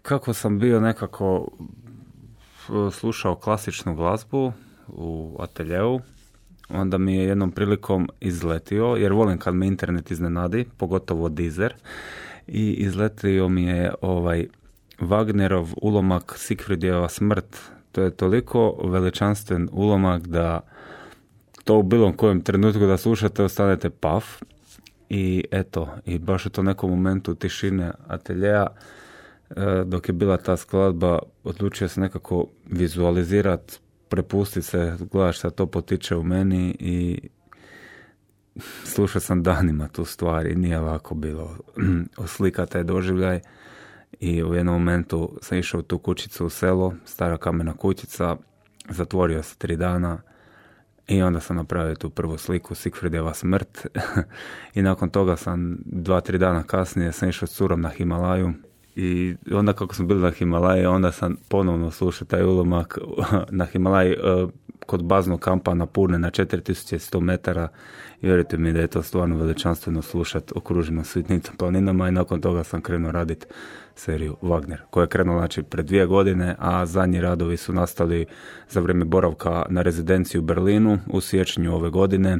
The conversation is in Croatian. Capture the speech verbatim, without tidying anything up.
kako sam bio nekako slušao klasičnu glazbu u ateljeu, onda mi je jednom prilikom izletio, jer volim kad me internet iznenadi, pogotovo Deezer, i izletio mi je ovaj Wagnerov ulomak Siegfriedjeva smrt. To je toliko veličanstven ulomak da to u bilo kojem trenutku da slušate ostanete paf. I eto, i baš u to nekom momentu tišine ateljeja, dok je bila ta skladba, odlučio se nekako vizualizirati, prepustiti se, gledaš šta to potiče u meni i slušao sam danima tu stvar i nije ovako bilo oslika taj doživljaj. I u jednom momentu sam išao u tu kućicu u selo, stara kamena kućica, zatvorio se tri dana i onda sam napravio tu prvu sliku, Siegfriedjeva smrt. I nakon toga sam dva, tri dana kasnije sam išao s curom na Himalaju. I onda kako smo bili na Himalaji, onda sam ponovno slušao taj ulomak na Himalaji kod baznog kampa na Purne na četiri tisuće sto metara i vjerujte mi da je to stvarno veličanstveno slušati okruženo svitnicom planinama i nakon toga sam krenuo raditi seriju Wagner, koja je krenula znači pred dvije godine, a zadnji radovi su nastali za vrijeme boravka na rezidenciji u Berlinu u siječnju ove godine.